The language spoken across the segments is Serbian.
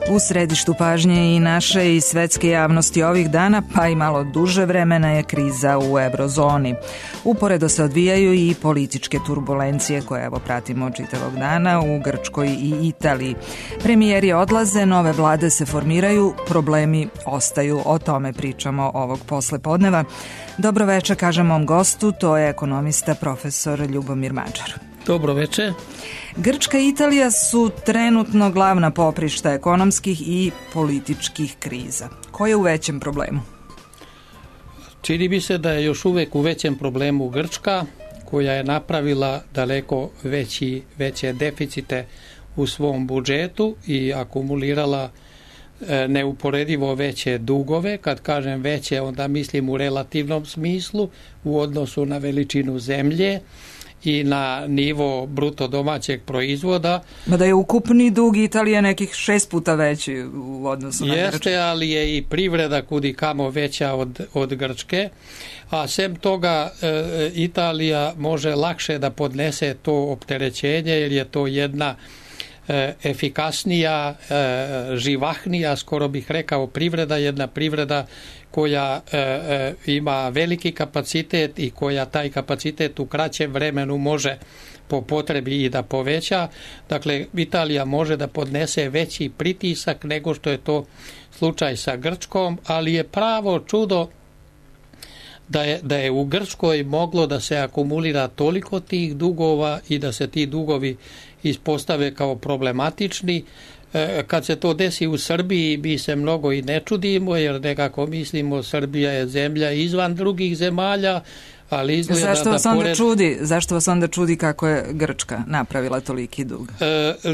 U središtu pažnje i naše i svetske javnosti ovih dana, pa i malo duže vremena, je kriza u eurozoni. Uporedo se odvijaju i političke turbulencije koje evo pratimo čitavog dana u Grčkoj i Italiji. Premijeri odlaze, nove vlade se formiraju, problemi ostaju. O tome pričamo ovog poslepodneva. Dobro večer, kažem mom gostu, to je ekonomista profesor Ljubomir Mađar. Dobro večer. Grčka i Italija su trenutno glavna poprišta ekonomskih i političkih kriza. Ko je u većem problemu? Čini mi se da je još uvijek u većem problemu Grčka, koja je napravila daleko veće deficite u svom budžetu i akumulirala neuporedivo veće dugove. Kad kažem veće, onda mislim u relativnom smislu, u odnosu na veličinu zemlje i na nivo bruto domaćeg proizvoda. Da je ukupni dug Italije nekih 6 puta veći u odnosu na Grčku. Jeste, ali je i privreda kudikamo veća od Grčke, a sem toga Italija može lakše da podnese to opterećenje, jer je to jedna efikasnija, živahnija, skoro bih rekao, privreda, jedna privreda koja ima veliki kapacitet i koja taj kapacitet u kraćem vremenu može po potrebi i da poveća. Dakle, Italija može da podnese veći pritisak nego što je to slučaj sa Grčkom, ali je pravo čudo da je u Grčkoj moglo da se akumulira toliko tih dugova i da se ti dugovi ispostave kao problematični. Kad se to desi u Srbiji, mi se mnogo i ne čudimo, jer nekako mislimo Srbija je zemlja izvan drugih zemalja, ali izgleda Zašto vas onda čudi kako je Grčka napravila toliki dug?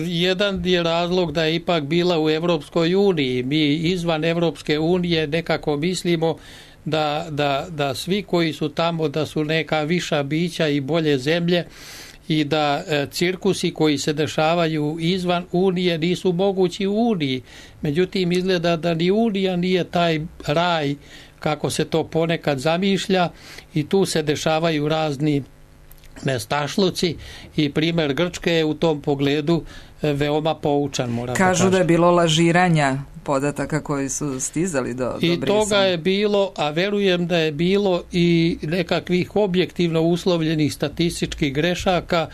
Jedan je razlog da je ipak bila u Evropskoj uniji. Mi izvan Evropske unije nekako mislimo da svi koji su tamo da su neka viša bića i bolje zemlje i da cirkusi koji se dešavaju izvan Unije nisu mogući u Uniji. Međutim, izgleda da ni Unija nije taj raj kako se to ponekad zamišlja i tu se dešavaju razni nestašluci i primjer Grčke je u tom pogledu veoma poučan. Kažu da je bilo lažiranja podataka koji su stizali do i Brisela. Toga je bilo, a verujem da je bilo i nekakvih objektivno uslovljenih statističkih grešaka,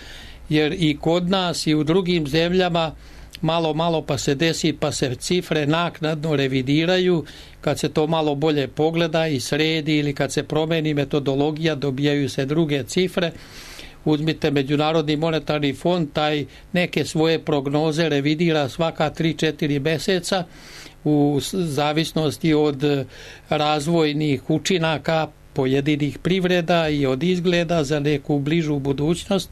jer i kod nas i u drugim zemljama malo pa se desi, pa se cifre naknadno revidiraju. Kad se to malo bolje pogleda i sredi ili kad se promeni metodologija, dobijaju se druge cifre. Uzmite Međunarodni monetarni fond, taj neke svoje prognoze revidira svaka 3-4 mjeseca u zavisnosti od razvojnih učinaka pojedinih privreda i od izgleda za neku bližu budućnost.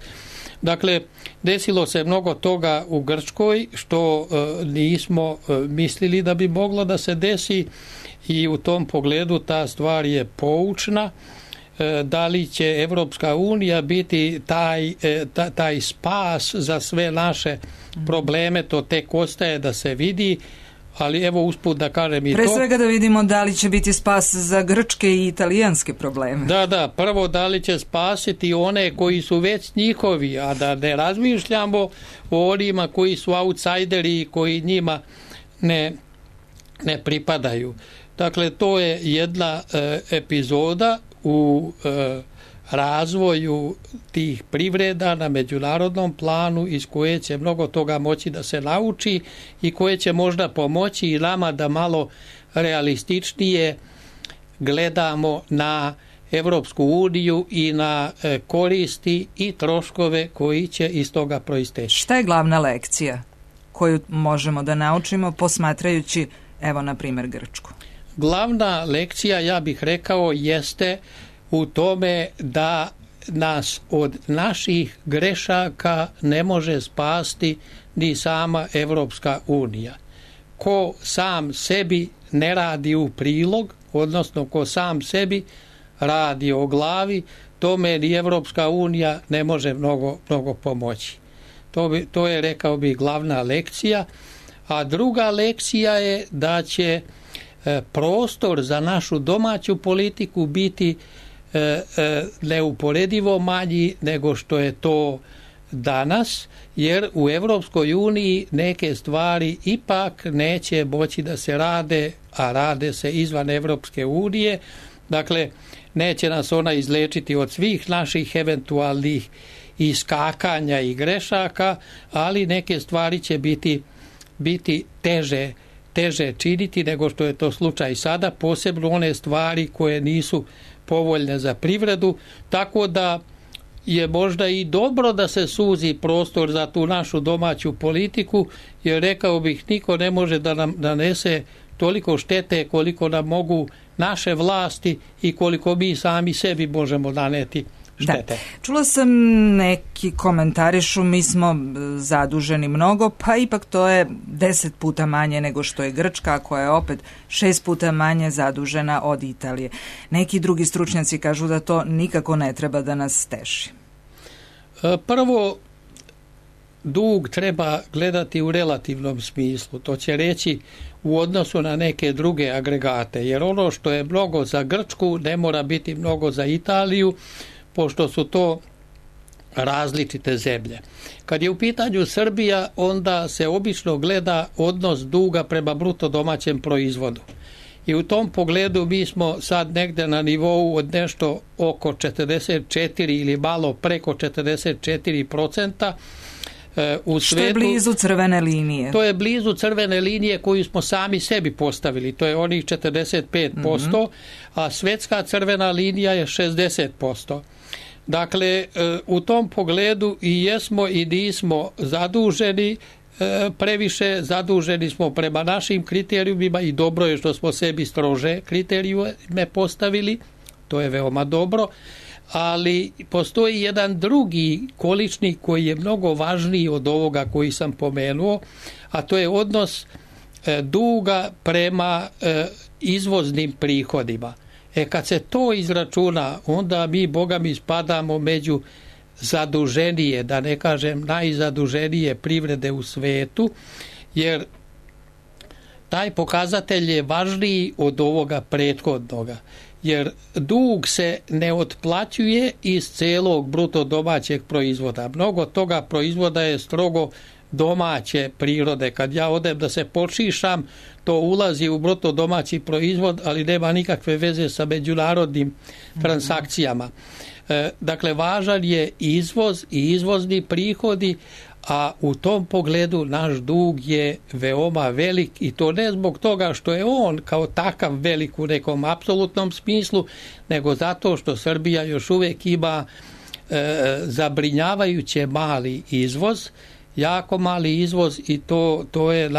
Dakle, desilo se mnogo toga u Grčkoj što nismo mislili da bi moglo da se desi i u tom pogledu ta stvar je poučna. Da li će Evropska unija biti taj spas za sve naše probleme, to tek ostaje da se vidi, ali evo usput da kažem i to. Pre svega da vidimo da li će biti spas za grčke i italijanske probleme. Da, prvo da li će spasiti one koji su već njihovi, a da ne razmišljamo o onima koji su outsideri i koji njima ne pripadaju. Dakle, to je jedna epizoda u razvoju tih privreda na međunarodnom planu iz koje će mnogo toga moći da se nauči i koje će možda pomoći i nama da malo realističnije gledamo na Evropsku uniju i na koristi i troškove koji će iz toga proisteći. Šta je glavna lekcija koju možemo da naučimo posmatrajući, evo, na primjer, Grčku? Glavna lekcija, ja bih rekao, jeste u tome da nas od naših grešaka ne može spasti ni sama Evropska unija. Ko sam sebi ne radi u prilog, odnosno ko sam sebi radi o glavi, tome ni Evropska unija ne može mnogo pomoći. To je, rekao bih, glavna lekcija. A druga lekcija je da će prostor za našu domaću politiku biti neuporedivo manji nego što je to danas, jer u Evropskoj uniji neke stvari ipak neće moći da se rade, a rade se izvan Evropske unije. Dakle, neće nas ona izlečiti od svih naših eventualnih iskakanja i grešaka, ali neke stvari će biti teže činiti nego što je to slučaj sada, posebno one stvari koje nisu povoljne za privredu, tako da je možda i dobro da se suzi prostor za tu našu domaću politiku, jer rekao bih, niko ne može da nam nanese toliko štete koliko nam mogu naše vlasti i koliko mi sami sebi možemo naneti štete. Da. Čula sam neki komentarišu, mi smo zaduženi mnogo, pa ipak to je 10 puta manje nego što je Grčka, koja je opet 6 puta manje zadužena od Italije. Neki drugi stručnjaci kažu da to nikako ne treba da nas teši. Prvo, dug treba gledati u relativnom smislu. To će reći u odnosu na neke druge agregate, jer ono što je mnogo za Grčku ne mora biti mnogo za Italiju, pošto su to različite zemlje. Kad je u pitanju Srbija, onda se obično gleda odnos duga prema bruto domaćem proizvodu. I u tom pogledu mi smo sad negde na nivou od nešto oko 44 ili malo preko 44%. U što je blizu crvene linije. To je blizu crvene linije koju smo sami sebi postavili. To je onih 45%, a svetska crvena linija je 60%. Dakle, u tom pogledu i jesmo i nismo zaduženi, previše zaduženi smo prema našim kriterijumima i dobro je što smo sebi strože kriterijume postavili, to je veoma dobro, ali postoji jedan drugi količnik koji je mnogo važniji od ovoga koji sam pomenuo, a to je odnos duga prema izvoznim prihodima. Kad se to izračuna, onda mi, Boga mi, spadamo među zaduženije, da ne kažem najzaduženije privrede u svetu, jer taj pokazatelj je važniji od ovoga prethodnoga. Jer dug se ne otplaćuje iz celog bruto domaćeg proizvoda. Mnogo toga proizvoda je strogo domaće prirode. Kad ja odem da se počišam, to ulazi u bruto domaći proizvod, ali nema nikakve veze sa međunarodnim transakcijama. Dakle, važan je izvoz i izvozni prihodi, a u tom pogledu naš dug je veoma velik i to ne zbog toga što je on kao takav velik u nekom apsolutnom smislu, nego zato što Srbija još uvijek ima zabrinjavajuće mali izvoz, jako mali izvoz i to je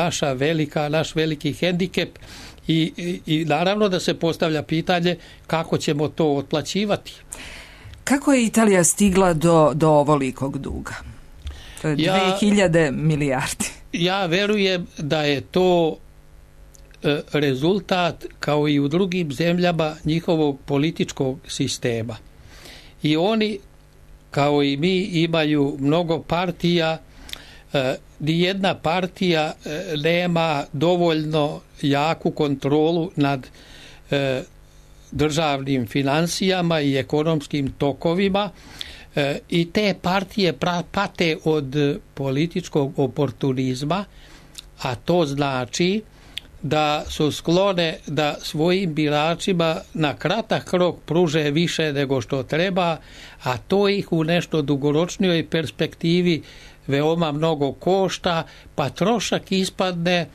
naš veliki hendikep i naravno da se postavlja pitanje kako ćemo to otplaćivati. Kako je Italija stigla do ovolikog duga? To je 2000 milijardi. Ja verujem da je to rezultat, kao i u drugim zemljama, njihovog političkog sistema. I oni, kao i mi, imaju mnogo partija. Nijedna partija nema dovoljno jaku kontrolu nad državnim finansijama i ekonomskim tokovima i te partije pate od političkog oportunizma, a to znači da su sklone da svojim biračima na kratak rok pruže više nego što treba, a to ih u nešto dugoročnijoj perspektivi veoma mnogo košta, pa trošak ispadne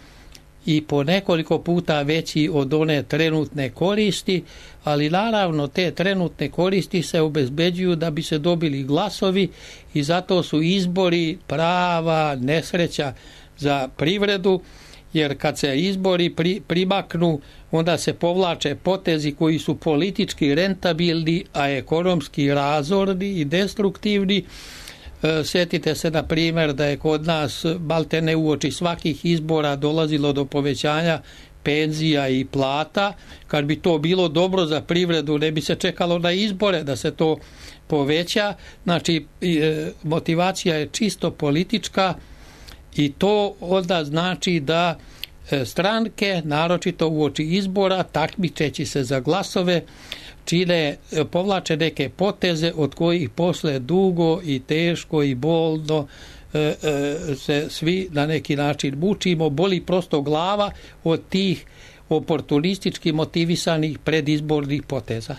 i po nekoliko puta veći od one trenutne koristi, ali naravno te trenutne koristi se obezbeđuju da bi se dobili glasovi i zato su izbori prava nesreća za privredu, jer kad se izbori primaknu, onda se povlače potezi koji su politički rentabilni, a ekonomski razorni i destruktivni. Sjetite se, na primjer, da je kod nas maltene uoči svakih izbora dolazilo do povećanja penzija i plata. Kad bi to bilo dobro za privredu, ne bi se čekalo na izbore da se to poveća. Znači, motivacija je čisto politička i to onda znači da stranke, naročito uoči izbora, takmičeći se za glasove, povlače neke poteze od kojih posle dugo i teško i bolno se svi na neki način mučimo, boli prosto glava od tih oportunistički motivisanih predizbornih poteza.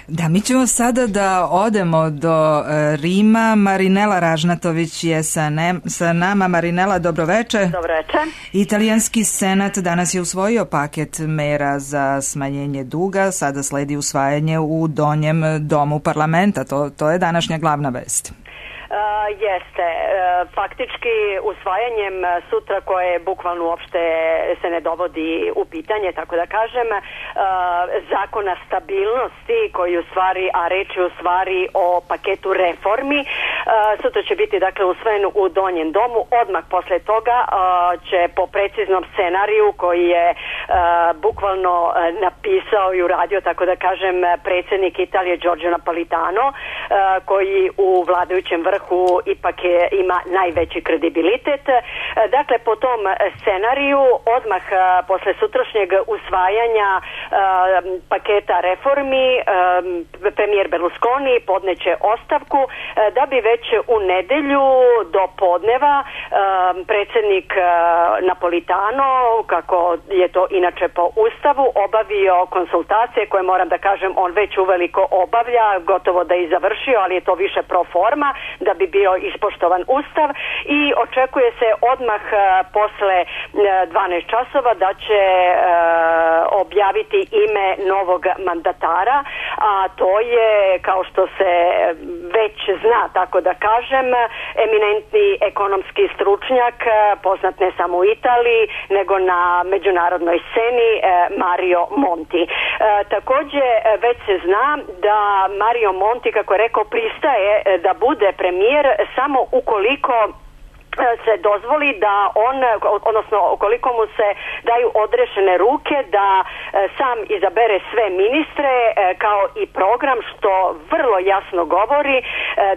Da, mi ćemo sada da odemo do Rima. Marinela Ražnatović je sa nama. Marinela, dobroveče. Dobroveče. Italijanski senat danas je usvojio paket mera za smanjenje duga. Sada sledi usvajanje u donjem domu parlamenta. To je današnja glavna vest. Jeste. Faktički usvajanjem sutra, koje bukvalno uopšte se ne dovodi u pitanje, tako da kažem, zakona stabilnosti koji u stvari, a reč je u stvari o paketu reformi, sutra će biti dakle usvojen u donjem domu. Odmah posle toga će po preciznom scenariju koji je bukvalno napisao i uradio, tako da kažem, predsjednik Italije Giorgio Napolitano, koji u vladajućem vrhu ipak ima najveći kredibilitet. Dakle, po tom scenariju, odmah posle sutrašnjeg usvajanja paketa reformi, premijer Berlusconi podneće ostavku, da bi već u nedelju do podneva predsjednik Napolitano, kako je to inače po Ustavu, obavio konsultacije koje, moram da kažem, on već uveliko obavlja, gotovo da i završio, ali je to više pro forma, da bi bio ispoštovan Ustav, i očekuje se odmah posle 12 časova da će objaviti ime novog mandatara, a to je, kao što se već zna, tako da kažem, eminentni ekonomski stručnjak, poznat ne samo u Italiji, nego na međunarodnoj sceni, Mario Monti. Također već se zna da Mario Monti, kako je rekao, pristaje da bude premijer samo ukoliko se dozvoli da on, odnosno ukoliko mu se daju odrešene ruke da sam izabere sve ministre, kao i program, što vrlo jasno govori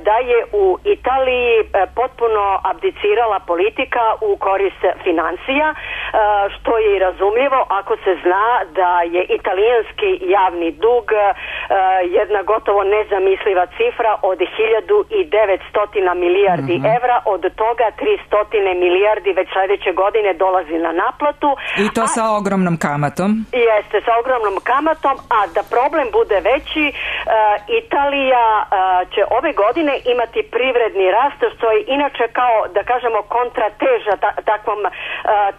da je u Italiji potpuno abdicirala politika u korist financija, što je i razumljivo ako se zna da je italijanski javni dug jedna gotovo nezamisliva cifra od 1900 milijardi evra, od toga 300 milijardi već sljedeće godine dolazi na naplatu. I to sa ogromnom kamatom. Jeste, sa ogromnom kamatom, a da problem bude veći, Italija će ove godine imati privredni rast, što je inače, kao da kažemo, kontrateža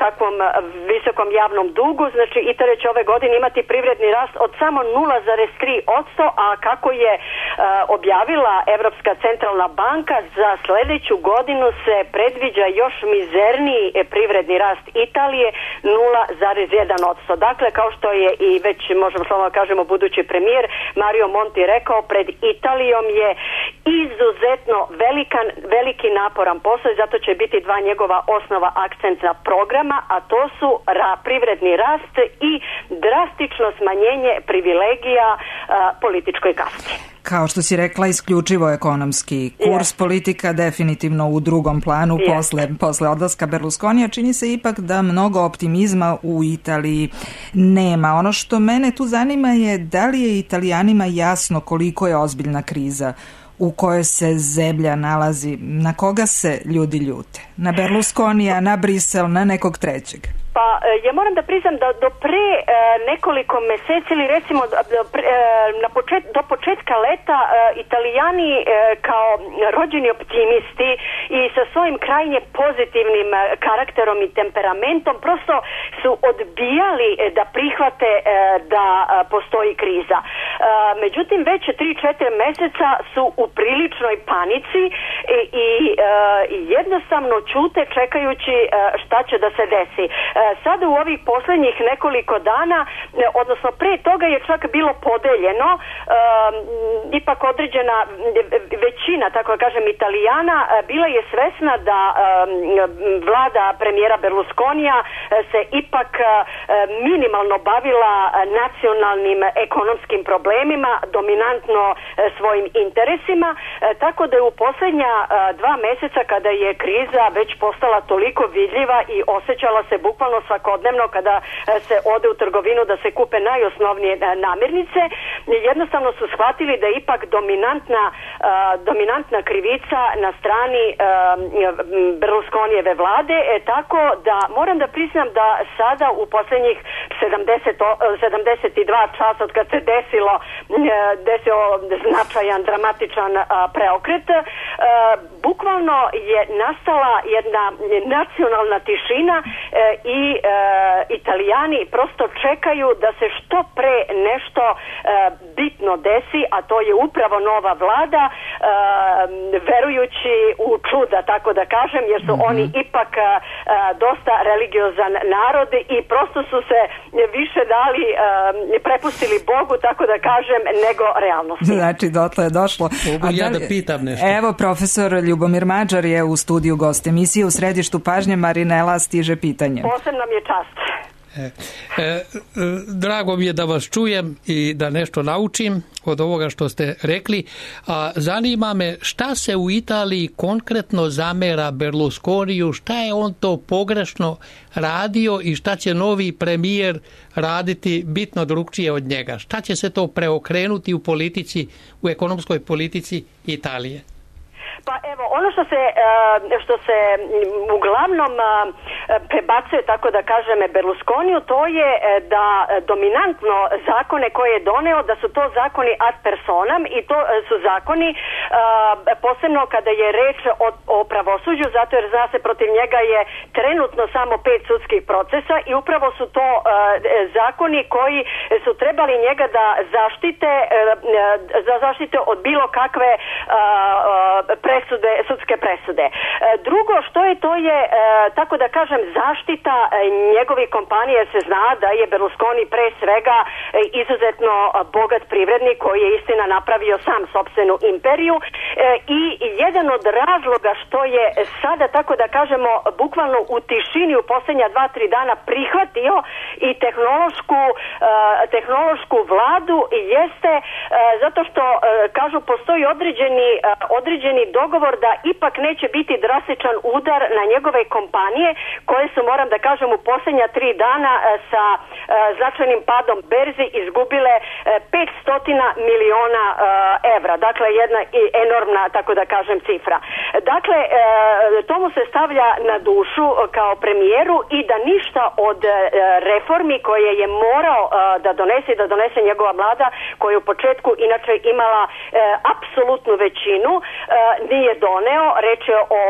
takvom visokom javnom dugu. Znači, Italija će ove godine imati privredni rast od samo 0,3%, a kako je objavila Evropska centralna banka, za sljedeću godinu se predviđa još mizerniji privredni rast Italije, 0,1%. Dakle, kao što je i već, možemo slobodno kažemo, budući premijer Mario Monti rekao, pred Italijom je izuzetno veliki naporan posao, i zato će biti dva njegova osnova akcentna programa, a to su privredni rast i drastično smanjenje privilegija političkoj kasti. Kao što si rekla, isključivo ekonomski kurs, politika definitivno u drugom planu posle odlaska Berlusconija. Čini se ipak da mnogo optimizma u Italiji nema. Ono što mene tu zanima je da li je Italijanima jasno koliko je ozbiljna kriza u kojoj se zemlja nalazi, na koga se ljudi ljute? Na Berlusconija, na Brisel, na nekog trećeg? Pa ja moram da priznam da do pre nekoliko meseci, ili recimo do početka leta, Italijani kao rođeni optimisti i sa svojim krajnje pozitivnim karakterom i temperamentom prosto su odbijali da prihvate da postoji kriza. Međutim, već 3-4 meseca su u priličnoj panici i jednostavno ćute čekajući šta će da se desi. Sada u ovih posljednjih nekoliko dana, odnosno pre toga je čak bilo podeljeno, ipak određena većina, tako da kažem, Italijana bila je svesna da vlada premijera Berlusconija se ipak minimalno bavila nacionalnim ekonomskim problemima, dominantno svojim interesima, tako da je u posljednja 2 meseca, kada je kriza već postala toliko vidljiva i osjećala se bukvalno bukvalno svakodnevno kada se ode u trgovinu da se kupe najosnovnije namirnice, jednostavno su shvatili da je ipak dominantna krivica na strani Berlusconijeve vlade, tako da moram da priznam da sada u posljednjih 72 časa od kad se desio značajan, dramatičan preokret, bukvalno je nastala jedna nacionalna tišina i Italijani prosto čekaju da se što pre nešto bitno desi, a to je upravo nova vlada, verujući u čuda, tako da kažem, jer su oni ipak dosta religiozan narod i prosto su se više dali, prepustili Bogu, tako da kažem, nego realnosti. Znači, dotle je došlo. Da pitam nešto. Evo, profesor Ljubomir Mađar je u studiju gost emisije. U središtu pažnje Marinela stiže pitanje. Posebno mi je čast. Drago mi je da vas čujem i da nešto naučim od ovoga što ste rekli. Zanima me šta se u Italiji konkretno zamera Berlusconiju, šta je on to pogrešno radio i šta će novi premijer raditi bitno drugčije od njega. Šta će se to preokrenuti u politici, u ekonomskoj politici Italije? Pa evo, ono što se uglavnom prebacuje, tako da kažem, Berlusconiju, to je da dominantno zakone koje je doneo, da su to zakoni ad personam i to su zakoni posebno kada je reč o pravosuđu, zato jer zna se protiv njega je trenutno samo 5 sudskih procesa i upravo su to zakoni koji su trebali njega da zaštite od bilo kakve sudske presude. Drugo što je, to je, tako da kažem, zaštita njegovih kompanija, jer se zna da je Berlusconi pre svega izuzetno bogat privrednik koji je istina napravio sam sopstvenu imperiju i jedan od razloga što je sada, tako da kažemo, bukvalno u tišini u posljednja 2-3 dana prihvatio i tehnološku vladu jeste zato što, kažu, postoji određeni dogovor da ipak neće biti drastičan udar na njegove kompanije koje su, moram da kažem, u posljednja 3 dana sa značajnim padom berzi izgubile 500 miliona evra. Dakle, jedna enormna, tako da kažem, cifra. Dakle, to mu se stavlja na dušu kao premijeru i da ništa od reformi koje je morao da donese njegova vlada, koja je u početku inače imala apsolutnu većinu, nije doneo. Reč je o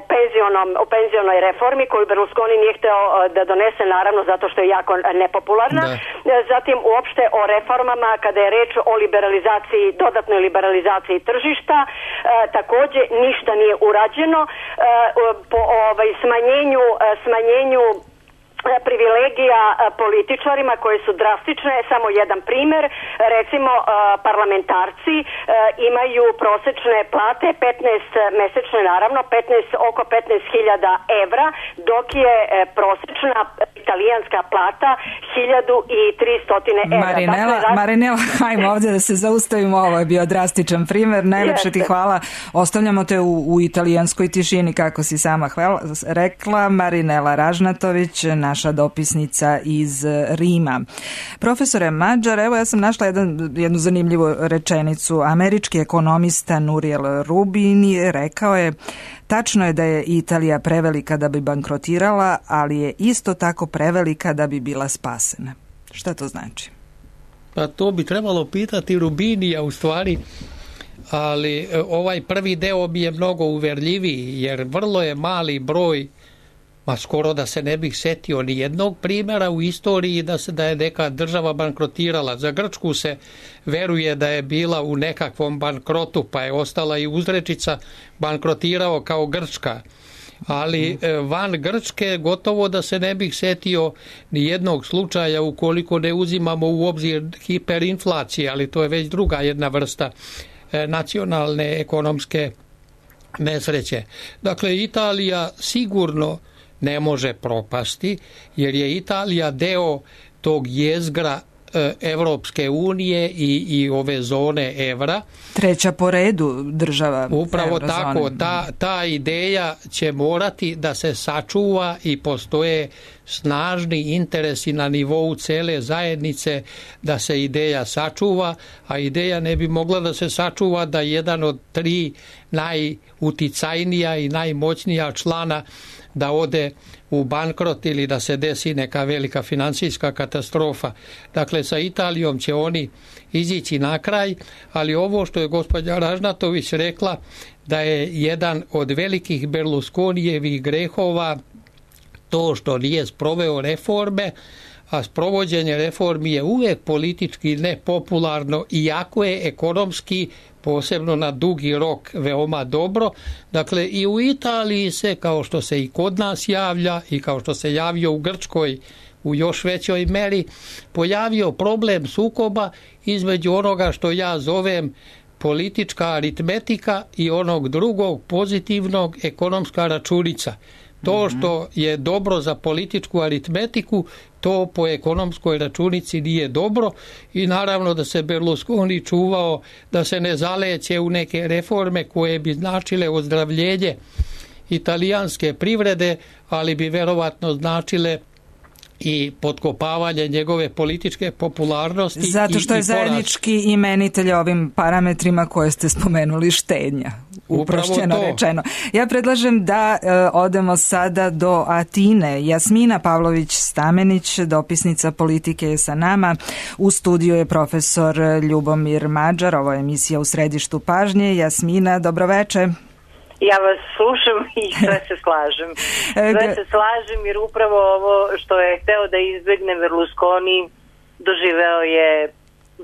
penzionoj reformi koju Berlusconi nije hteo da donese, naravno zato što je jako nepopularna. Zatim uopšte o reformama kada je reč o dodatnoj liberalizaciji tržišta, takođe ništa nije urađeno. Po smanjenju privilegija političarima koje su drastične. Samo jedan primer, recimo parlamentarci imaju prosečne plate 15 mesečne, naravno oko 15.000 evra, dok je prosečna italijanska plata 1.300 evra. Marinela, hajmo ovdje da se zaustavimo, ovo je bio drastičan primer, najlepše ti hvala, ostavljamo te u italijanskoj tišini, kako si sama rekla. Marinela Ražnatović, naša dopisnica iz Rima. Profesore Mađar, evo ja sam našla jednu zanimljivu rečenicu. Američki ekonomista Nouriel Roubini rekao je: tačno je da je Italija prevelika da bi bankrotirala, ali je isto tako prevelika da bi bila spasena. Šta to znači? Pa to bi trebalo pitati Roubinija u stvari, ali ovaj prvi deo bi je mnogo uverljiviji, jer vrlo je mali broj, skoro da se ne bih setio ni jednog primjera u istoriji da je neka država bankrotirala. Za Grčku se veruje da je bila u nekakvom bankrotu, pa je ostala i uzrečica bankrotirao kao Grčka. Ali van Grčke gotovo da se ne bih setio ni jednog slučaja ukoliko ne uzimamo u obzir hiperinflacije, ali to je već druga jedna vrsta nacionalne ekonomske nesreće. Dakle, Italija sigurno ne može propasti, jer je Italija deo tog jezgra Evropske unije i ove zone evra. Treća po redu država upravo Eurozone. Tako, ta ideja će morati da se sačuva i postoje snažni interesi na nivou cele zajednice da se ideja sačuva, a ideja ne bi mogla da se sačuva da jedan od tri najuticajnija i najmoćnija člana da ode u bankrot ili da se desi neka velika finansijska katastrofa. Dakle, sa Italijom će oni izići na kraj, ali ovo što je gospođa Ražnatović rekla, da je jedan od velikih Berlusconijevih grehova to što nije sproveo reforme, a sprovođenje reformi je uvijek politički nepopularno, iako je ekonomski, posebno na dugi rok, veoma dobro. Dakle, i u Italiji se, kao što se i kod nas javlja i kao što se javio u Grčkoj u još većoj meri, pojavio problem sukoba između onoga što ja zovem politička aritmetika i onog drugog pozitivnog ekonomska računica. To što je dobro za političku aritmetiku, to po ekonomskoj računici nije dobro i naravno da se Berlusconi čuvao da se ne zaleće u neke reforme koje bi značile ozdravljenje italijanske privrede, ali bi verovatno značile i potkopavanje njegove političke popularnosti. Zato što je zajednički imenitelj ovim parametrima koje ste spomenuli štednja. Uprošćeno rečeno. Ja predlažem da odemo sada do Atine. Jasmina Pavlović-Stamenić, dopisnica politike, je sa nama. U studiju je profesor Ljubomir Mađar. Ovo je emisija U središtu pažnje. Jasmina, dobroveče. Ja vas slušam i sve se slažem. Sve se slažem jer upravo ovo što je hteo da izbegne Berlusconi doživeo je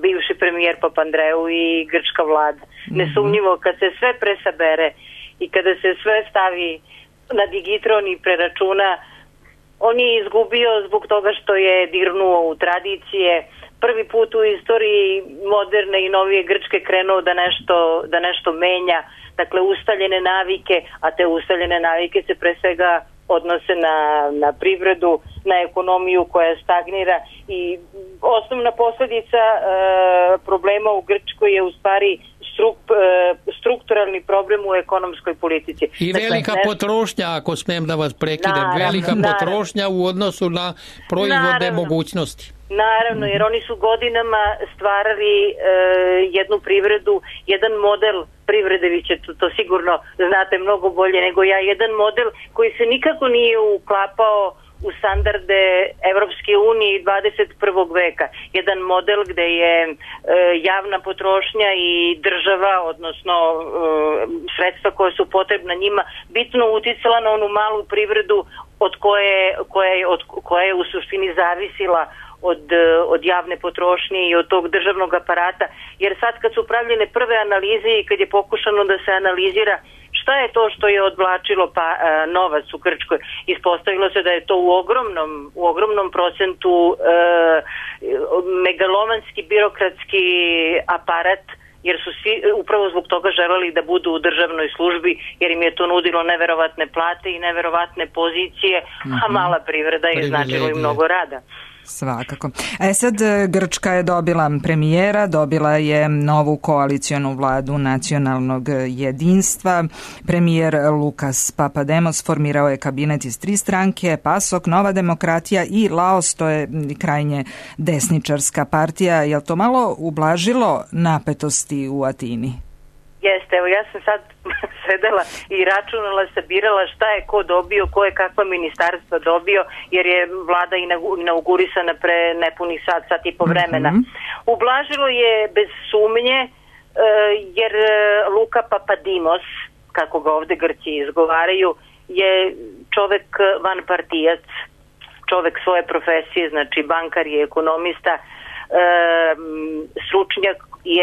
bivši premijer Papandreou i grčka vlada. Nesumnjivo kad se sve presabere i kada se sve stavi na digitron i preračuna, on je izgubio zbog toga što je dirnuo u tradicije. Prvi put u istoriji moderne i novije Grčke krenuo da nešto menja. Dakle, ustaljene navike, a te ustaljene navike se pre svega odnose na privredu, na ekonomiju koja stagnira i osnovna posljedica problema u Grčkoj je u stvari strukturalni problem u ekonomskoj politici. I velika potrošnja, ako smijem da vas prekidem, velika potrošnja u odnosu na proizvodne mogućnosti. Naravno, jer oni su godinama stvarali jednu privredu, jedan model privrede, vi ćete to sigurno znate mnogo bolje nego ja, jedan model koji se nikako nije uklapao u standarde Evropske unije i 21. veka. Jedan model gde je javna potrošnja i država, odnosno sredstva koje su potrebna njima, bitno uticala na onu malu privredu od koje je u suštini zavisila od javne potrošnje i od tog državnog aparata, jer sad kad su pravljene prve analize i kad je pokušano da se analizira šta je to što je odvlačilo novac u Grčkoj, ispostavilo se da je to u ogromnom procentu megalomanski birokratski aparat, jer su svi upravo zbog toga želeli da budu u državnoj službi, jer im je to nudilo neverovatne plate i neverovatne pozicije, a mala privreda je značilo i mnogo rada. Svakako. Sad Grčka je dobila premijera, dobila je novu koalicionu vladu nacionalnog jedinstva. Premijer Lukas Papademos formirao je kabinet iz 3 stranke, PASOK, Nova demokratija i Laos, to je krajnje desničarska partija. Je li to malo ublažilo napetosti u Atini? Jeste, evo ja sam sad sedela i računala, sabirala šta je ko dobio, ko je kakva ministarstva dobio, jer je vlada inaugurisana pre nepunih sat i po vremena. Ublažilo je bez sumnje, jer Luka Papadimos, kako ga ovde Grci izgovaraju, je čovek vanpartijac, čovek svoje profesije, znači bankar i ekonomista, stručnjak i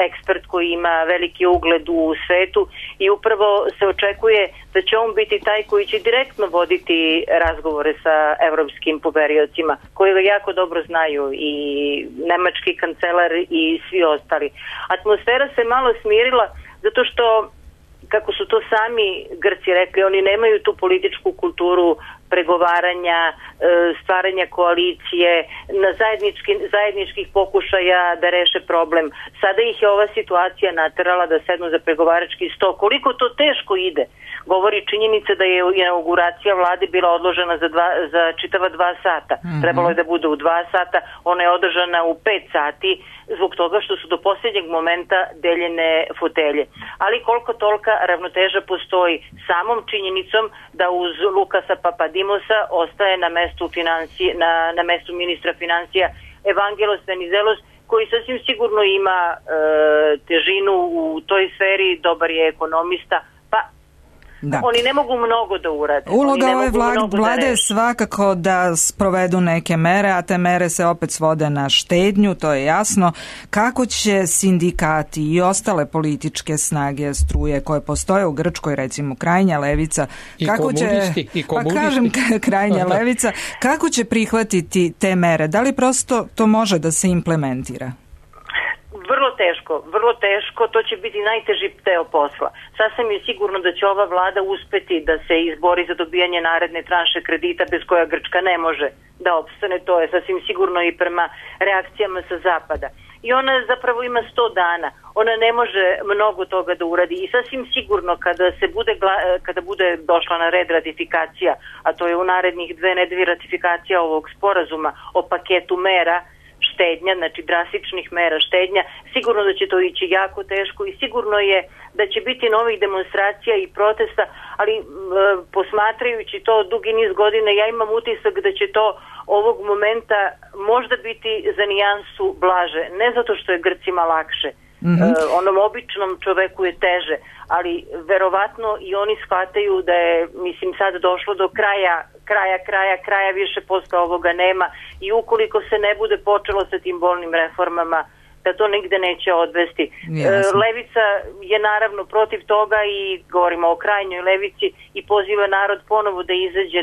ekspert koji ima veliki ugled u svetu i upravo se očekuje da će on biti taj koji će direktno voditi razgovore sa evropskim poveriocima, koji ga jako dobro znaju, i nemački kancelar i svi ostali. Atmosfera se malo smirila zato što, kako su to sami Grci rekli, oni nemaju tu političku kulturu pregovaranja, stvaranja koalicije, na zajedničkih pokušaja da reše problem. Sada ih je ova situacija naterala da sednu za pregovarački sto. Koliko to teško ide, govori činjenica da je inauguracija vlade bila odložena za čitava 2 sata. Trebalo je da bude u 2 sata, ona je održana u 5 sati zbog toga što su do posljednjeg momenta deljene fotelje. Ali koliko tolika ravnoteža postoji samom činjenicom da uz Lukasa Papadimosa ostaje na mestu ministra financija Evangelos Venizelos, koji sasvim sigurno ima težinu u toj sferi, dobar je ekonomista, da. Oni ne mogu mnogo da urade. Uloga ove vlade je svakako da sprovedu neke mere, a te mere se opet svode na štednju, to je jasno. Kako će sindikati i ostale političke snage, struje koje postoje u Grčkoj, recimo krajnja levica, i komunisti. Pa kažem krajnja levica, kako će prihvatiti te mere? Da li prosto to može da se implementira? Vrlo teško, to će biti najteži deo posla. Sasvim je sigurno da će ova vlada uspeti da se izbori za dobijanje naredne tranše kredita bez koja Grčka ne može da opstane, to je sasvim sigurno i prema reakcijama sa zapada. I ona zapravo ima 100 dana, ona ne može mnogo toga da uradi i sasvim sigurno kada bude došla na red ratifikacija, a to je u narednih 2 nedelje ratifikacija ovog sporazuma o paketu mera, štednja, znači drastičnih mera štednja, sigurno da će to ići jako teško i sigurno je da će biti novih demonstracija i protesta, ali posmatrajući to dugi niz godina, ja imam utisak da će to ovog momenta možda biti za nijansu blaže, ne zato što je Grcima lakše, onom običnom čoveku je teže, ali verovatno i oni shvataju da je, mislim, sad došlo do kraja, više posle ovoga nema i ukoliko se ne bude počelo sa tim bolnim reformama, da to nigde neće odvesti. Levica je naravno protiv toga i govorimo o krajnjoj levici i poziva narod ponovo da izađe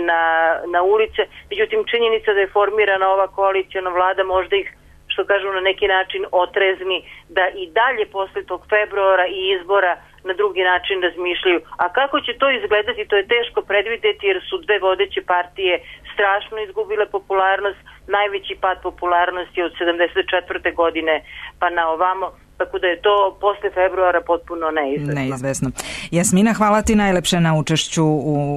na ulice, međutim činjenica da je formirana ova koalicijona vlada možda ih, što kažu, na neki način otrezni da i dalje posle tog februara i izbora na drugi način razmišljaju. A kako će to izgledati, to je teško predvideti jer su 2 vodeće partije strašno izgubile popularnost. Najveći pad popularnosti od 74. godine pa na ovamo, tako da je to posle februara potpuno neizvesno. Jasmina, hvala ti najlepše na učešću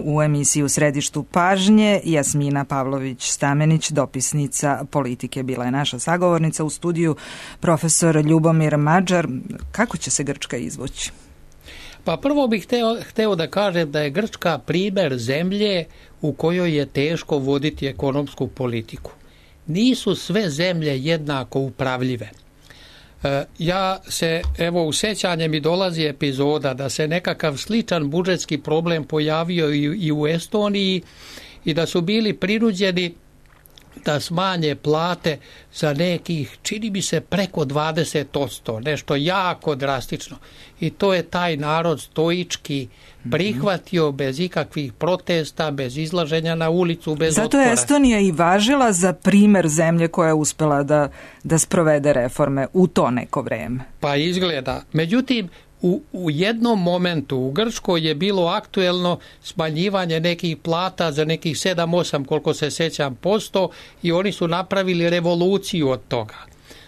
u emisiji U središtu pažnje. Jasmina Pavlović-Stamenić, dopisnica politike, bila je naša sagovornica. U studiju profesor Ljubomir Mađar. Kako će se Grčka izvući? Pa prvo bih hteo da kažem da je Grčka primer zemlje u kojoj je teško voditi ekonomsku politiku. Nisu sve zemlje jednako upravljive. Ja se, evo, u sećanje mi dolazi epizoda da se nekakav sličan budžetski problem pojavio i u Estoniji i da su bili prinuđeni da smanje plate za nekih, čini mi se, preko 20%, nešto jako drastično. I to je taj narod stoički prihvatio bez ikakvih protesta, bez izlaženja na ulicu, bez otpora. Zato je Estonija i važila za primer zemlje koja je uspela da sprovede reforme u to neko vreme. Pa izgleda. Međutim, u jednom momentu u Grčkoj je bilo aktuelno smanjivanje nekih plata za nekih 7-8, koliko se sećam, % i oni su napravili revoluciju od toga.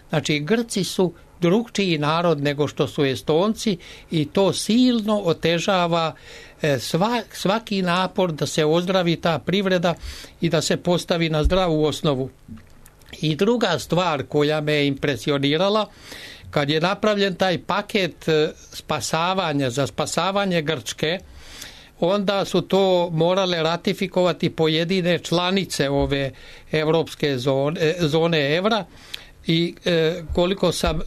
Znači, Grci su drugčiji narod nego što su Estonci i to silno otežava svaki napor da se ozdravi ta privreda i da se postavi na zdravu osnovu. I druga stvar koja me je impresionirala, kad je napravljen taj paket spasavanja za spasavanje Grčke, onda su to morale ratifikovati pojedine članice ove evropske zone evra i koliko sam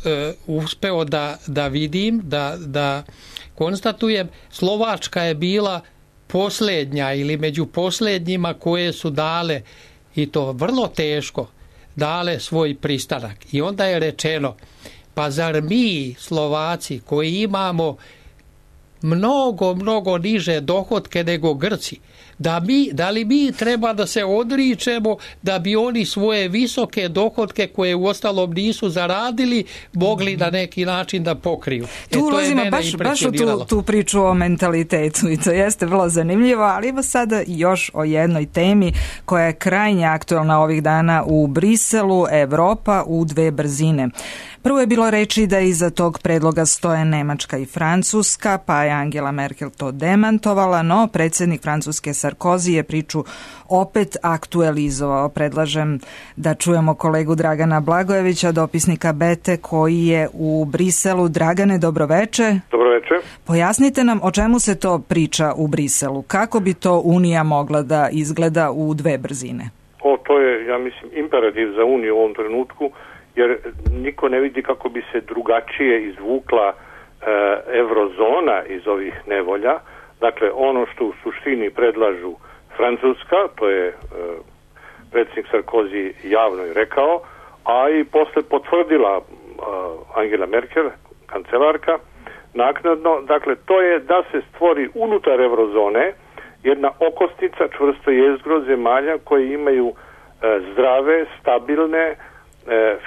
uspeo da vidim, da konstatujem, Slovačka je bila posljednja ili među posljednjima koje su dale, i to vrlo teško, dale svoj pristanak. I onda je rečeno, pa zar mi Slovaci koji imamo mnogo niže dohotke nego Grci, da li mi treba da se odričemo da bi oni svoje visoke dohotke koje u ostalom nisu zaradili mogli na neki način da pokriju. Tu ulazimo baš u tu priču o mentalitetu i to jeste vrlo zanimljivo, ali evo sada još o jednoj temi koja je krajnje aktuelna ovih dana u Briselu, Evropa u dve brzine. Prvo je bilo reći da iza tog predloga stoje Nemačka i Francuska, pa je Angela Merkel to demantovala, no predsjednik Francuske Sarkozy je priču opet aktualizovao. Predlažem da čujemo kolegu Dragana Blagojevića, dopisnika Bete, koji je u Briselu. Dragane, dobroveče. Dobroveče. Pojasnite nam o čemu se to priča u Briselu. Kako bi to Unija mogla da izgleda u dve brzine? To je, ja mislim, imperativ za Uniju u ovom trenutku, jer niko ne vidi kako bi se drugačije izvukla eurozona iz ovih nevolja. Dakle, ono što u suštini predlažu Francuska, to je predsjednik Sarkozy javno i rekao, a i posle potvrdila Angela Merkel, kancelarka, naknadno. Dakle, to je da se stvori unutar eurozone jedna okosnica, čvrsto jezgro zemalja koje imaju zdrave, stabilne,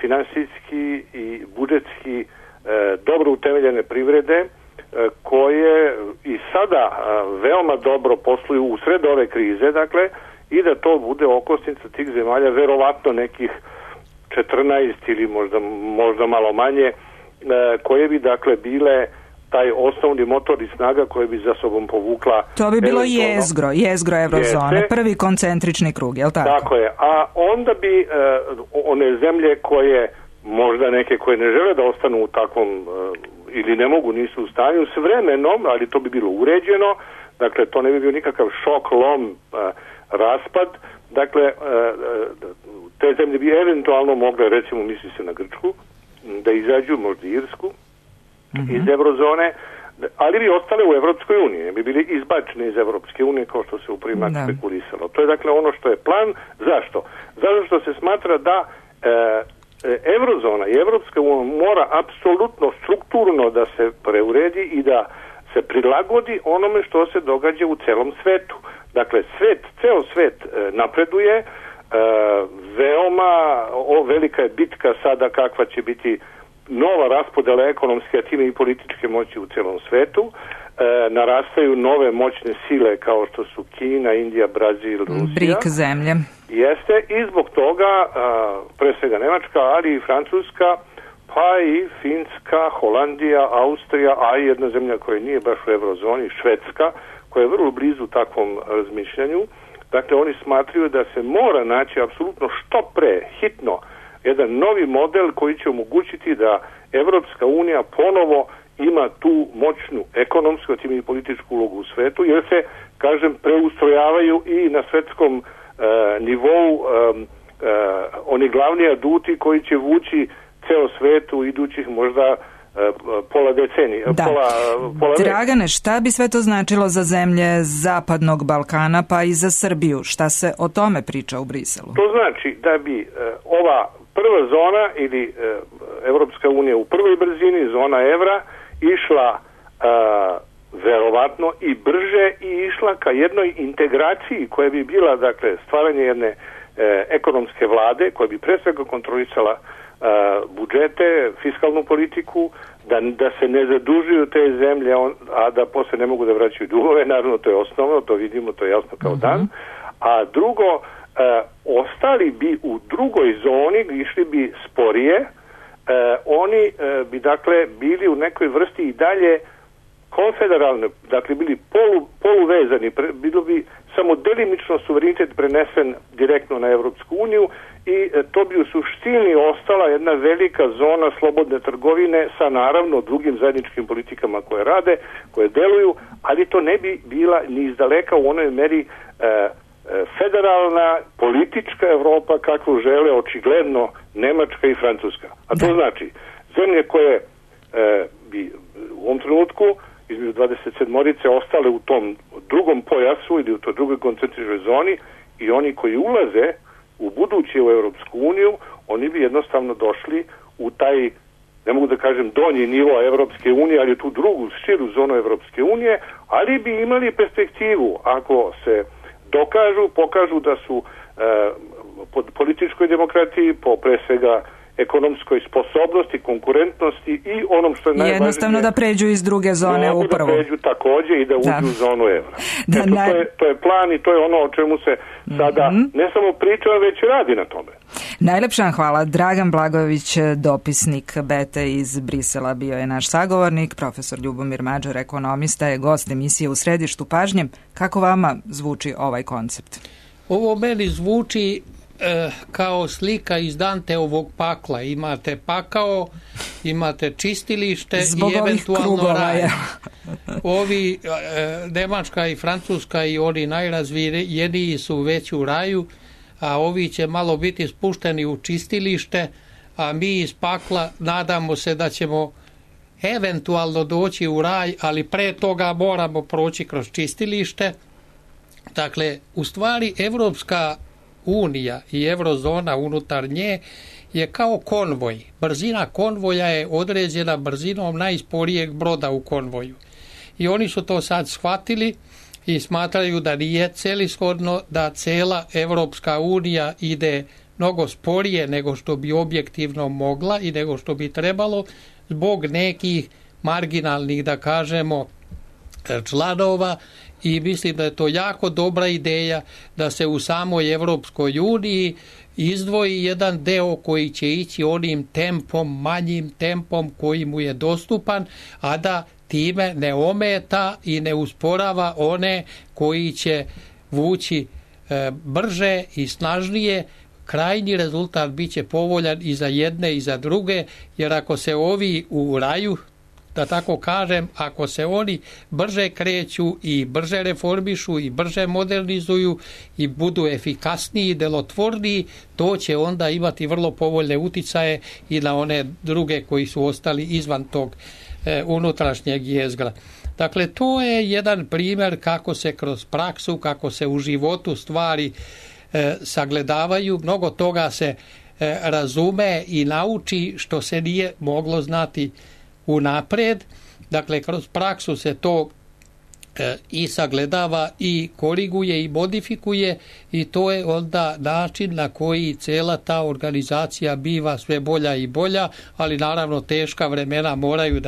finansijski i budžetski dobro utemeljene privrede koje i sada veoma dobro posluju u sred ove krize, dakle, i da to bude okosnica tih zemalja, verovatno nekih 14 ili možda malo manje, koje bi dakle bile taj osnovni motor i snaga koje bi za sobom povukla. To bi bilo jezgro eurozone, prvi koncentrični krug, je li tako? Tako je, a onda bi one zemlje koje, možda neke koje ne žele da ostanu u takvom ili ne mogu, nisu u stanju, s vremenom, ali to bi bilo uređeno, dakle to ne bi bio nikakav šok, lom, raspad, dakle te zemlje bi eventualno mogle, recimo misli se na Grčku, da izađu, možda Irsku, iz eurozone, ali bi ostale u Evropskoj uniji, ne bi bili izbačeni iz Evropske unije kao što se u primat spekulisalo. To je dakle ono što je plan. Zašto? Zato što se smatra da eurozona i Evropska unija mora apsolutno strukturno da se preuredi i da se prilagodi onome što se događa u celom svetu. Dakle, ceo svet napreduje, veoma velika je bitka sada kakva će biti nova raspodela ekonomske, a time i političke moći u celom svetu. Narastaju nove moćne sile kao što su Kina, Indija, Brazil, Rusija. BRIC zemlje. Jeste, i zbog toga pre svega Nemačka, ali i Francuska, pa i Finska, Holandija, Austrija, a i jedna zemlja koja nije baš u eurozoni, Švedska, koja je vrlo blizu takvom razmišljanju. Dakle, oni smatraju da se mora naći apsolutno što pre, hitno, jedan novi model koji će omogućiti da Evropska unija ponovo ima tu moćnu ekonomsku, a time i političku ulogu u svetu, jer se, kažem, preustrojavaju i na svetskom nivou oni glavni aduti koji će vući ceo svet u idućih možda pola decenije. Pola Dragane, šta bi sve to značilo za zemlje Zapadnog Balkana pa i za Srbiju? Šta se o tome priča u Briselu? To znači da bi ova prva zona ili Evropska unija u prvoj brzini, zona evra, išla verovatno i brže i išla ka jednoj integraciji koja bi bila, dakle, stvaranje jedne ekonomske vlade koja bi pre svega kontrolisala budžete, fiskalnu politiku, da se ne zadužuju te zemlje, a da posle ne mogu da vraćaju dugove, naravno to je osnovno, to vidimo, to je jasno kao dan. A drugo, ostali bi u drugoj zoni, išli bi sporije, oni bi dakle bili u nekoj vrsti i dalje konfederalne, dakle bili poluvezani, bilo bi samo delimično suverenitet prenesen direktno na Evropsku uniju i to bi u suštini ostala jedna velika zona slobodne trgovine sa naravno drugim zajedničkim politikama koje rade, koje deluju, ali to ne bi bila ni izdaleka u onoj meri federalna politička Evropa kakvu žele očigledno Nemačka i Francuska. A to znači zemlje koje bi u ovom trenutku između 27-orice ostale u tom drugom pojasu ili u toj drugoj koncentričnoj zoni i oni koji ulaze u buduće u Evropsku uniju, oni bi jednostavno došli u taj, ne mogu da kažem donji nivo Evropske unije, ali tu drugu širu zonu Evropske unije, ali bi imali perspektivu ako se pokažu da su po političkoj demokratiji, po pre svega ekonomskoj sposobnosti, konkurentnosti i onom što je najvažnije... Jednostavno da pređu iz druge zone u prvu. Da pređu takođe i da uđu u zonu evra. To je plan i to je ono o čemu se sada ne samo priča, već radi na tome. Najlepša hvala. Dragan Blagojević, dopisnik BETA iz Brisela, bio je naš sagovornik. Profesor Ljubomir Mađar, ekonomista, je gost emisije U središtu pažnje. Kako vama zvuči ovaj koncept? Ovo meni zvuči kao slika iz Danteovog pakla. Imate pakao, imate čistilište i eventualno raj. Ovi Nemačka i Francuska i oni najrazvijeniji su već u raju, a ovi će malo biti spušteni u čistilište, a mi iz pakla nadamo se da ćemo eventualno doći u raj, ali pre toga moramo proći kroz čistilište. Dakle, u stvari Evropska unija i eurozona unutar nje je kao konvoj. Brzina konvoja je određena brzinom najsporijeg broda u konvoju. I oni su to sad shvatili i smatraju da nije celishodno da cela Evropska unija ide mnogo sporije nego što bi objektivno mogla i nego što bi trebalo zbog nekih marginalnih, da kažemo, članova, i mislim da je to jako dobra ideja da se u samoj Evropskoj uniji izdvoji jedan deo koji će ići onim tempom, manjim tempom koji mu je dostupan, a da time ne ometa i ne usporava one koji će vući brže i snažnije. Krajnji rezultat bit će povoljan i za jedne i za druge, jer ako se ovi u raju, da tako kažem, ako se oni brže kreću i brže reformišu i brže modernizuju i budu efikasniji i delotvorniji, to će onda imati vrlo povoljne uticaje i na one druge koji su ostali izvan tog unutrašnjeg jezgra. Dakle, to je jedan primjer kako se kroz praksu, kako se u životu stvari sagledavaju. Mnogo toga se razume i nauči što se nije moglo znati unapred. Dakle, kroz praksu se to i sagledava i koriguje i modifikuje, i to je onda način na koji cela ta organizacija biva sve bolja i bolja, ali naravno teška vremena moraju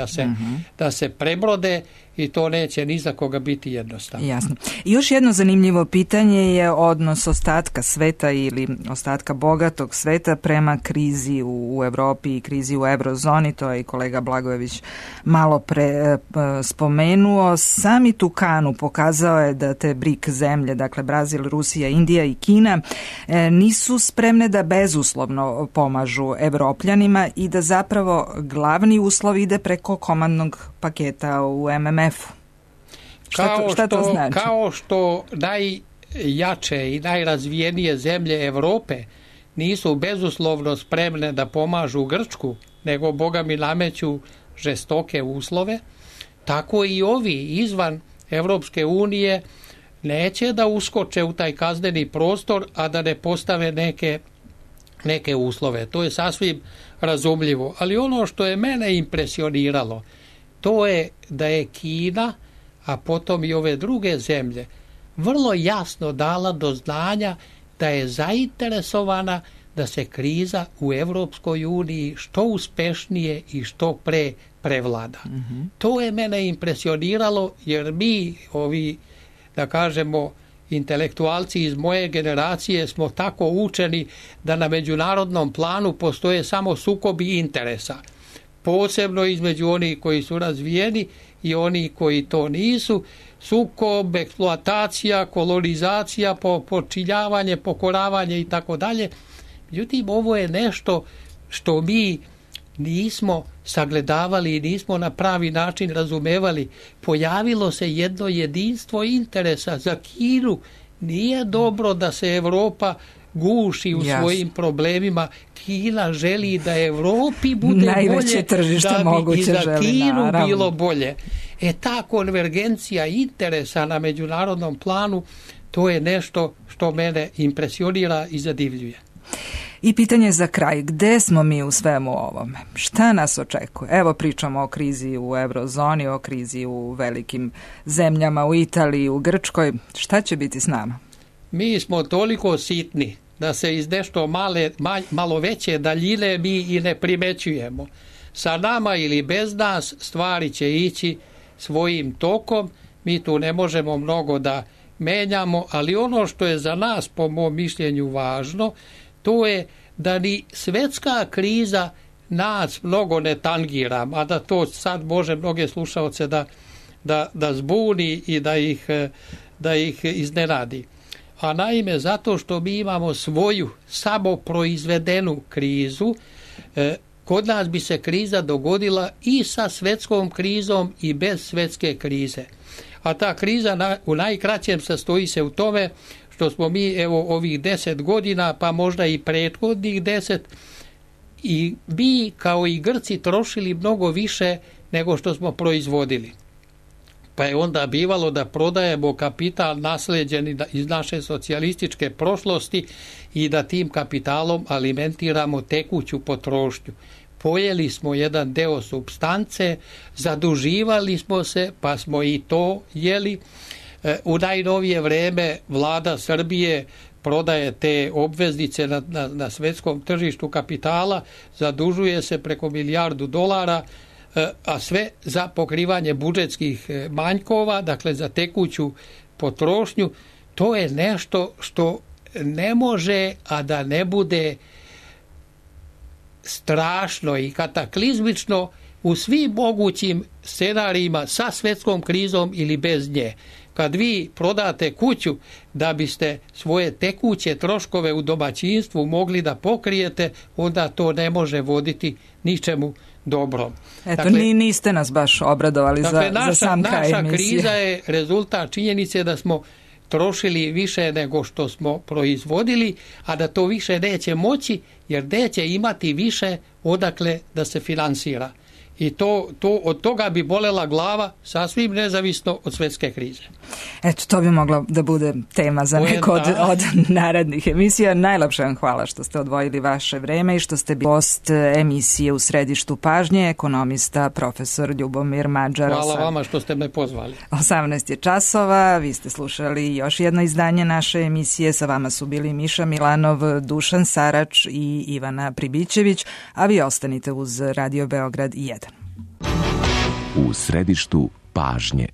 da se prebrode i to neće ni za koga biti jednostavno. Jasno. I još jedno zanimljivo pitanje je odnos ostatka sveta ili ostatka bogatog sveta prema krizi u Evropi i krizi u eurozoni. To je i kolega Blagojević malo pre spomenuo. Samit u Kanu pokazao je da te BRIC zemlje, dakle Brazil, Rusija, Indija i Kina, nisu spremne da bezuslovno pomažu Evropljanima i da zapravo glavni uslov ide preko komandnog paketa u MMF-u. Šta to znači? Kao što najjače i najrazvijenije zemlje Evrope nisu bezuslovno spremne da pomažu Grčku, nego Boga mi nameću žestoke uslove, tako i ovi izvan Evropske unije neće da uskoče u taj kazneni prostor, a da ne postave neke uslove. To je sasvim razumljivo. Ali ono što je mene impresioniralo, to je da je Kina, a potom i ove druge zemlje, vrlo jasno dala do znanja da je zainteresovana da se kriza u Evropskoj uniji što uspešnije i što pre prevlada. To je mene impresioniralo, jer mi, ovi, da kažemo, intelektualci iz moje generacije smo tako učeni da na međunarodnom planu postoje samo sukobi interesa. Posebno između onih koji su razvijeni i oni koji to nisu, sukob, eksploatacija, kolonizacija, počinjavanje, pokoravanje i tako dalje. Međutim, ovo je nešto što mi nismo sagledavali i nismo na pravi način razumevali. Pojavilo se jedno jedinstvo interesa. Za Kinu nije dobro da se Evropa guši u svojim problemima. Kina želi da Evropi bude najveće tržište bolje, da bi i za Kinu naravno bilo bolje. Ta konvergencija interesa na međunarodnom planu, to je nešto što mene impresionira i zadivljuje. I pitanje za kraj, gde smo mi u svemu ovome? Šta nas očekuje? Evo pričamo o krizi u eurozoni, o krizi u velikim zemljama, u Italiji, u Grčkoj. Šta će biti s nama? mi smo toliko sitni da se iz nešto malo veće daljine mi i ne primećujemo. Sa nama ili bez nas stvari će ići svojim tokom, mi tu ne možemo mnogo da menjamo, ali ono što je za nas po mom mišljenju važno, to je da ni svetska kriza nas mnogo ne tangira, a da to sad može mnoge slušaoce da zbuni i da ih iznenadi. A naime, zato što mi imamo svoju samoproizvedenu krizu, kod nas bi se kriza dogodila i sa svetskom krizom i bez svetske krize. A ta kriza u najkraćem sastoji se u tome što smo mi ovih 10 godina, pa možda i prethodnih 10, i mi kao i Grci trošili mnogo više nego što smo proizvodili. Pa je onda bivalo da prodajemo kapital nasleđeni iz naše socijalističke prošlosti i da tim kapitalom alimentiramo tekuću potrošnju. Pojeli smo jedan deo supstance, zaduživali smo se, pa smo i to jeli. U najnovije vreme vlada Srbije prodaje te obveznice na svetskom tržištu kapitala, zadužuje se preko $1 milijardu, a sve za pokrivanje budžetskih manjkova, dakle za tekuću potrošnju. To je nešto što ne može, a da ne bude strašno i kataklizmično u svim mogućim scenarijima sa svetskom krizom ili bez nje. Kad vi prodate kuću da biste svoje tekuće troškove u domaćinstvu mogli da pokrijete, onda to ne može voditi ničemu dobrom. Eto, dakle, niste nas baš obradovali za sam kraj emisije. Naša kriza je rezultat činjenice da smo trošili više nego što smo proizvodili, a da to više neće moći, jer neće imati više odakle da se finansira. I to od toga bi bolela glava, sasvim nezavisno od svetske krize. Eto, to bi moglo da bude tema za neko od narednih emisija. Najlepše vam hvala što ste odvojili vaše vreme i što ste bili gost emisije U središtu pažnje, ekonomista profesor Ljubomir Mađar. Hvala vama što ste me pozvali. 18 je časova, vi ste slušali još jedno izdanje naše emisije. Sa vama su bili Miša Milanov, Dušan Sarač i Ivana Pribićević, a vi ostanite uz Radio Beograd 1. U središtu pažnje.